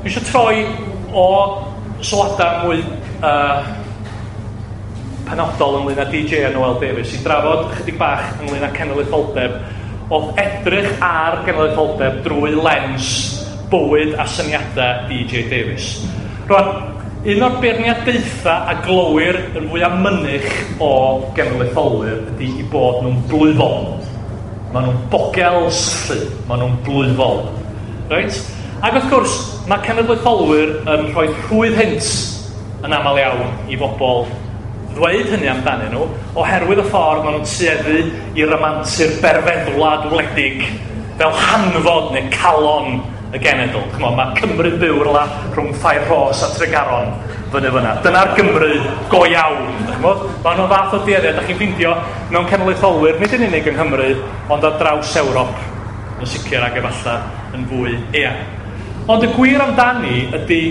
Dwi eisiau troi o sylwadau mwy penodol ynglyn â DJ a Noel Davies i drafod chydig bach ynglyn â cenedlaetholdeb, oedd edrych ar genedlaetholdeb drwy lens bywyd a syniadau DJ Davies. Rwan, un o'r beirniadaethau a glywir yn fwyaf mynych o genedlaetholwyr ydy i bod nhw'n blwyfol. Maen nhw'n bogel sythu, maen nhw'n blwyfol. Reit? Ac wrth gwrs, mae cenedlaetholwyr yn rhoi rhwydd hynt yn aml iawn i bobl ddweud hynny amdanyn nhw, oherwydd y ffordd maen nhw'n tueddu i ramantu'r berfeddwlad wledig fel hanfod neu calon y genedl. Ch'mod, mae Cymru'n byw rywle rhwng Ffair Rhos a Tregaron fyny fyna. Dyna'r Gymru go iawn. Ch'mod, maen nhw'n fath o dueddiad da chi'n ffeindio mewn cenedlaetholwyr, nid yn unig yng Nghymru, ond ar draws Ewrop yn sicr ac efallai yn fwy eang. Ond y gwir amdani ydy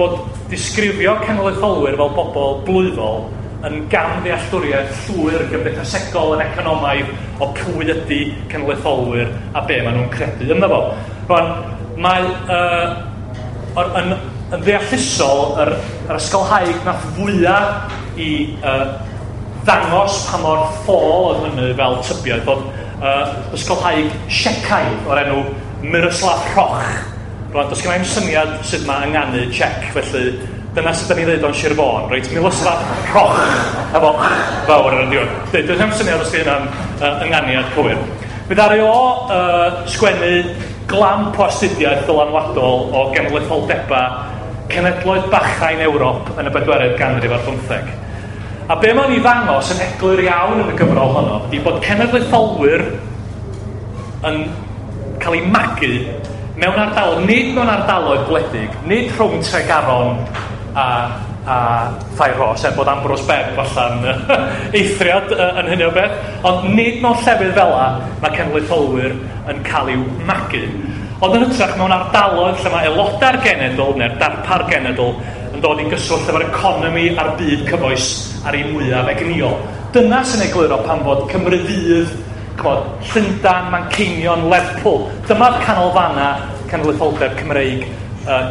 bod disgrifio cenedlaetholwyr fel bobl blwyfol yn gamddealltwriaeth llwyr gymdeithasegol yn economaidd o pwy ydy cenedlaetholwyr a be maen nhw'n credu ynddo fo. Rwan, mae yn ddeallusol yr ysgolhaig nath fwyaf i ddangos pa mor ffôl oedd hynny fel tybiaeth oedd ysgolhaig Siecaidd o'r enw Miroslav Hroch. Rwan, does gen i'm syniad sut mae ynganu Czech, felly dyna sut da ni'n dweud o'n Sir Fôn, reit? Miroslav Hroch, efo fawr ar y diwedd. Does gen i'm syniad os di hynna'n ynganiad cywir. Mi ddaru o sgwennu glamp o astudiaeth ddylanwadol o genedlaetholdebau cenedloedd bachau'n Ewrop yn y bedwaredd ganrif ar bymtheg. A be mae'n ei ddangos yn eglur iawn yn y gyfrol honno ydy bod cenedlaetholwyr yn cael eu magu mewn ardaloedd, nid mewn ardaloedd gwledig, nid rhwng Tregaron a Ffair Rhos, er bod Ambrose Bebb falla'n eithriad yn hynny o beth, ond nid mewn llefydd fel 'na mae cenedlaetholwyr yn cael eu magu. Ond yn hytrach mewn ardaloedd lle mae aelodau'r genedl neu'r darpar genedl yn dod i gyswllt efo'r economi a'r byd cyfoes ar ei mwyaf egnïol. Dyna sy'n egluro pam fod Cymru Fydd, ch'mod, Llundain, Manceinion, Lerpwl. Dyma'r canolfannau cenedlaetholdeb Cymreig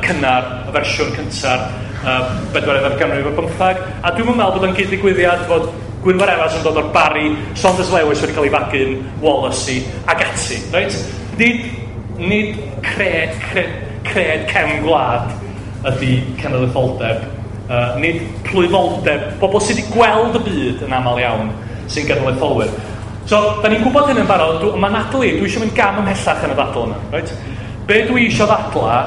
cynnar, y fersiwn cynta'r bedwaredd ganrif ar bymtheg. A dwi'm yn meddwl bod o'n gyd-ddigwyddiad fod Gwynfor Evans yn dod o'r Barri, Saunders Lewis wedi cael ei fagu'n Wallasey ac ati. Reit? Nid cred cefn gwlad ydy cenedlaetholdeb, nid plwyfoldeb, bobl sydd wedi gweld y byd yn aml iawn sy'n genedlaetholwyr. So, da ni'n gwybod hyn yn barod, mae Natalie, dwi eisiau mynd gam ymhellach yn y ddadl yma. Right? Be dwi eisiau ddadla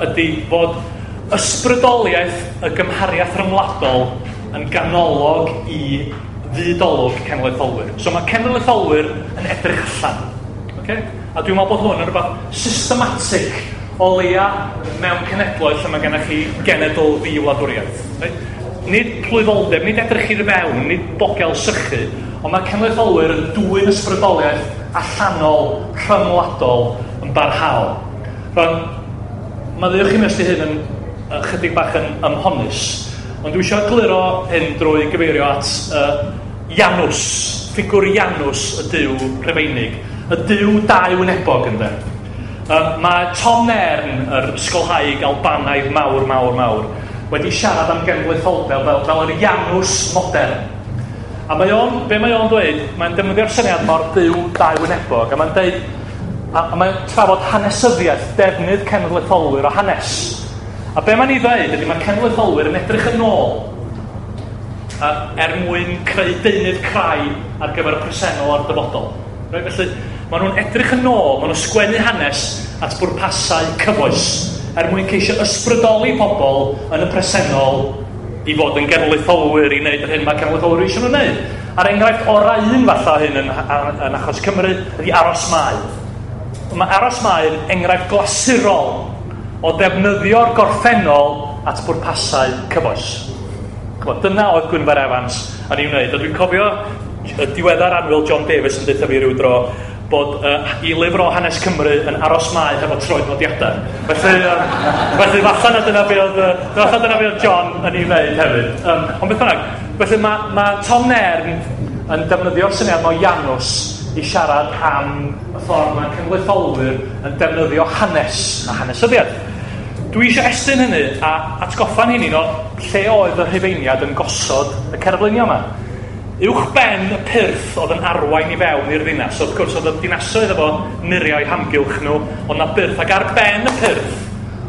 ydy fod ysbrydoliaeth y gymhariaeth ryngwladol yn ganolog i fyd-olwg cenedlaetholwyr. So mae cenedlaetholwyr yn edrych allan. Okay? A dwi'n meddwl bod hwn yn rhywbeth systematig o leia mewn cenedloedd lle mae gennych chi genedl ddi-wladwriaeth. Right? Nid plwyfoldeb, nid edrych i'r mewn, nid bogel sychu, ond mae cenedlaetholwyr yn dwyn ysbrydoliaeth allanol, rhyngwladol yn barhaol. Rwan, maddeuwch i mi os 'di hyn yn chydig bach yn ymhonus, ond dwi eisiau egluro hyn drwy gyfeirio at Janus, ffigwr Janus y duw Rhufeinig, y duw dau wynebog ynde. Mae Tom Nairn, yr ysgolhaig Albanaidd mawr, mawr, mawr, wedi siarad am genedlaetholdeb fel yr Ianws modern. A mae o'n, be mae o'n dweud, mae'n defnyddio'r syniad mor byw dau wynebog, a mae'n dweud, a mae'n trafod hanesyddiaeth, defnydd cenedlaetholwyr o hanes. A be mae'n ei ddeud ydy mae cenedlaetholwyr yn edrych yn ôl er mwyn creu deunydd crai ar gyfer y presennol a'r dyfodol. Right? Felly, maen nhw'n edrych yn ôl, maen nhw'n sgwennu hanes at bwrpasau cyfoes, er mwyn ceisio ysbrydoli pobl yn y presennol i fod yn genedlaetholwyr i wneud yr hyn mae cenedlaetholwyr eisiau nhw'n wneud. A'r enghraifft orau un falle hyn yn achos Cymru ydy Aros Mae. Mae Aros Mae yn enghraifft glasurol o ddefnyddio'r gorffennol at bwrpasau cyfoes. Dyna oedd Gwynfor Evans yn ei wneud. A dwi'n cofio y diweddar annwyl John Davies yn deutha fi ryw dro bod i lyfr o hanes Cymru yn Aros Mae hefo troednodiadau. Felly falle na dyna be oedd John yn ei wneud hefyd. Ond beth bynnag, felly mae Tom Nairn yn defnyddio'r syniad o Ianws i siarad am y ffordd mae cenedlaetholwyr yn defnyddio hanes a hanesyddiaeth. Dwi eisiau estyn hynny a atgoffa'n hynny o lle oedd y Rhufeiniad yn gosod y cerfluniau yma. Uwch ben y pyrth oedd yn arwain i fewn i'r ddinas. Wrth gwrs, oedd y dinasoedd efo muriau hamgylch nhw, ond na byrth. Ac ar ben y pyrth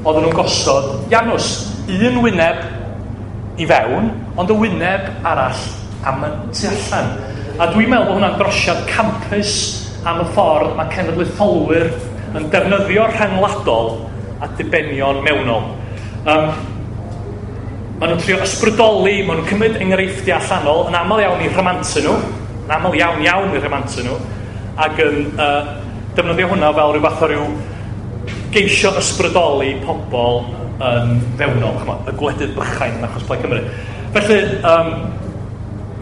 oedden nhw'n gosod Ianws. Un wyneb i fewn, ond y wyneb arall am y tu allan. A dwi'n meddwl bod hwnna'n drosiad campus am y ffordd mae cenedlaetholwyr yn defnyddio'r rhyngwladol a dibenion mewnol. Maen nhw'n trio ysbrydoli, maen nhw'n cymryd enghreifftiau allanol, yn aml iawn i rhamantu nhw, yn aml iawn iawn i rhamantu nhw, ac yn defnyddio hwnna fel rhyw fath o ryw geisio ysbrydoli pobl yn fewnol, ch'mod, y gwledydd bychain yn achos Plaid Cymru. Felly,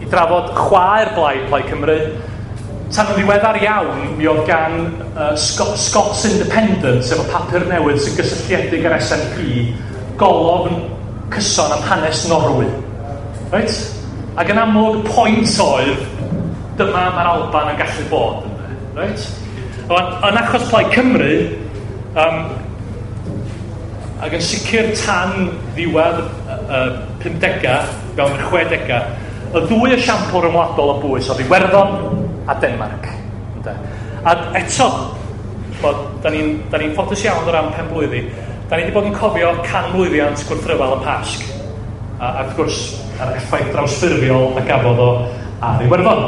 i drafod chwaer Blaid Cymru, tan yn ddiweddar iawn, mi oedd gan Scots Independent, sef y papur newydd sy'n gysylltiedig â'r SNP, golofn cyson am hanes Norwy. Right? Ac yn amlwg, y pwynt oedd, dyma mae'r Alban yn gallu bod. Right? Yn achos Plaid Cymru, ac yn sicr tan ddiwedd 50au, fewn yr 60au, y ddwy esiampl ryngwladol o bwys oedd Iwerddon a Denmarc. A eto, da ni'n ffodus iawn o ran penblwyddi. Da ni wedi bod yn cofio canmlwyddiant gwrthryfel y Pasg. A wrth gwrs, yr effaith drawsffurfiol a gafodd o ar Iwerddon.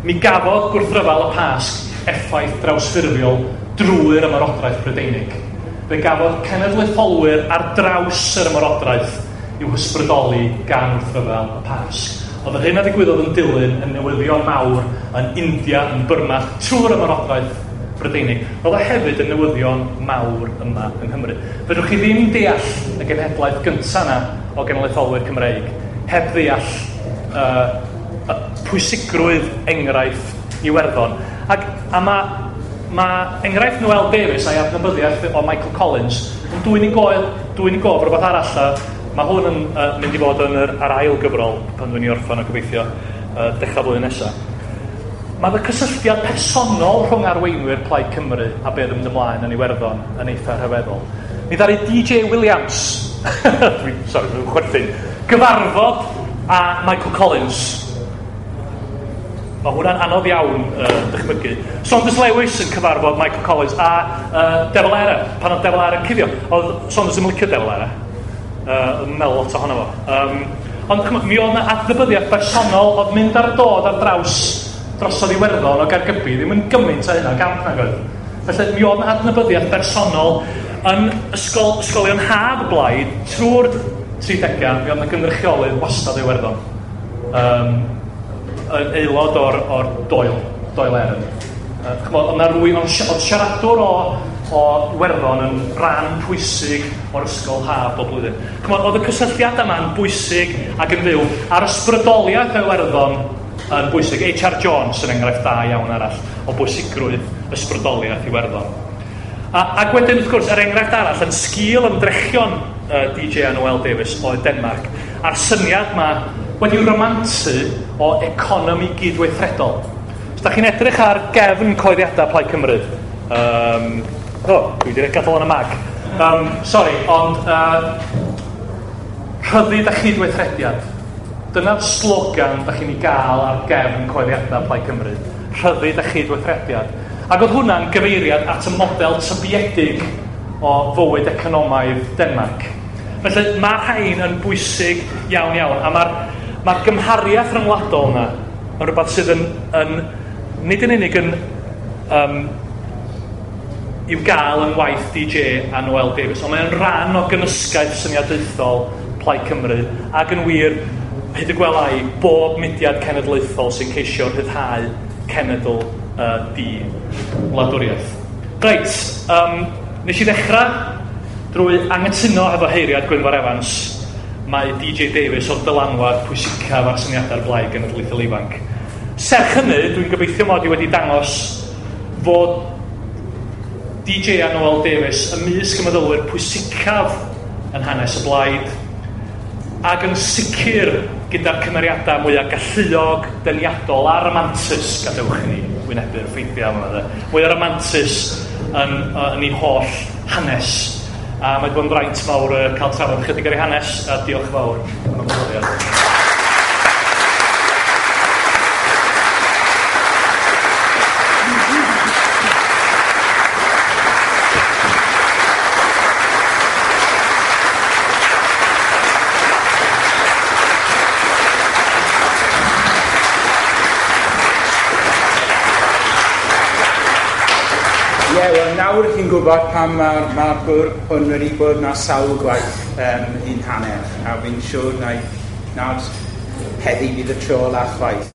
Mi gafodd gwrthryfel y Pasg effaith drawsffurfiol drwy'r ymerodraeth Brydeinig. Fe gafodd cenedlaetholwyr ar draws yr ymerodraeth i'w hysbrydoli gan wrthryfel y Pasg. Oedd yr hyn a ddigwyddodd yn dilyn yn newyddion mawr yn India, yn Burma, trwy'r ymerodraeth Brydeinig. Oedd o hefyd yn newyddion mawr yma yng Nghymru. Fedrwch chi ddim deall y genhedlaeth gyntaf yna o genedlaetholwyr Cymreig heb ddeall pwysigrwydd enghraifft Iwerddon. A mae enghraifft Noel Davies a'i adnabyddiaeth o Michael Collins yn dwyn i gof rhywbeth arall. Mae hwn yn mynd i fod yn yr ail gyfrol pan dwi'n ei orffen o gobeithio dechrau blwyddyn nesaf. Mae y cysylltiad personol rhwng arweinwyr Plaid Cymru a beth yn mynd ymlaen yn Iwerddon yn eitha rhyfeddol. Mi ddaru DJ Williams, dwi'n chwerthin, gyfarfod a Michael Collins. Mae hwnna'n anodd iawn dychmygu. Saunders Lewis yn cyfarfod Michael Collins a De Valera, pan oedd De Valera yn cuddio. Oedd Saunders yn licio De Valera. Yn meddwl lot ohono fo. Ond mi oedd yna adnabyddiaeth bersonol oedd mynd ar dod ar draws drosodd Iwerddon o Gaergybi ddim yn gymaint o hynna gamp nag oedd. Felly mi oedd yna adnabyddiaeth bersonol yn ysgolion haf y blaid trwy'r 30au, mi oedd yna gynrychiolydd wastad o Iwerddon. Yn aelod o'r Doyle Éireann. Oedd yna rwy'n oedd siaradwr o Iwerddon yn rhan pwysig o'r ysgol haf bob blwyddyn. Oedd y cysylltiadau yma'n bwysig ac yn fyw, a'r ysbrydoliaeth o Iwerddon yn bwysig. H.R. Jones yn enghraifft da iawn arall o bwysigrwydd ysbrydoliaeth Iwerddon. Ac wedyn, wrth gwrs, yr enghraifft arall yn sgil ymdrechion DJ a Noel Davies o Denmark, a'r syniad yma wedi'w ramantu o economi gydweithredol. Os da chi'n edrych ar gefn coeddiadau Plaid Cymru, dwi wedi gadael yn y mag. Sorry, ond Rhyddid a chydweithrediad. Dyna'r slogan da chi'n ei gael ar gefn cyhoeddiadau Plaid Cymru. Rhyddid a chydweithrediad. Ac oedd hwnna'n gyfeiriad at y model tybiedig o fywyd economaidd Denmarc. Felly mae rhain yn bwysig iawn iawn, a mae'r gymhariaeth rhyngwladol yna yn rhywbeth sydd yn nid yn unig yn i'w gael yn waith DJ a Noel Davies, ond mae'n rhan o gynysgaeth syniadaethol Plaid Cymru, ac yn wir, hyd y gwela i, bob mudiad cenedlaethol sy'n ceisio rhyddhau cenedl di wladwriaeth. Reit, nes i ddechrau drwy anghytuno efo heiriad Gwynfor Evans, mae DJ Davies o'r dylanwad pwysicaf ar syniadau'r Blaid Genedlaethol Ifanc. Serch hynny, dwi'n gobeithio mod i wedi dangos fod DJ a Noel Davies ymysg y meddylwyr pwysicaf yn hanes y blaid, ac yn sicr gyda'r cymeriadau mwyaf galluog, deniadol a ramantus, gadewch i ni wynebu'r ffeithiau yma, mwyaf ramantus yn ei holl hanes. A mae wedi bod yn fraint mawr cael trafod chydig ar ei hanes, a diolch fawr am y gwahoddiad. Nawr chi'n gwybod pam mae'r gŵr hwn wedi bod na sawl gwaith un hanner, a fi'n siŵr nad heddi fydd y tro olaf chwaith.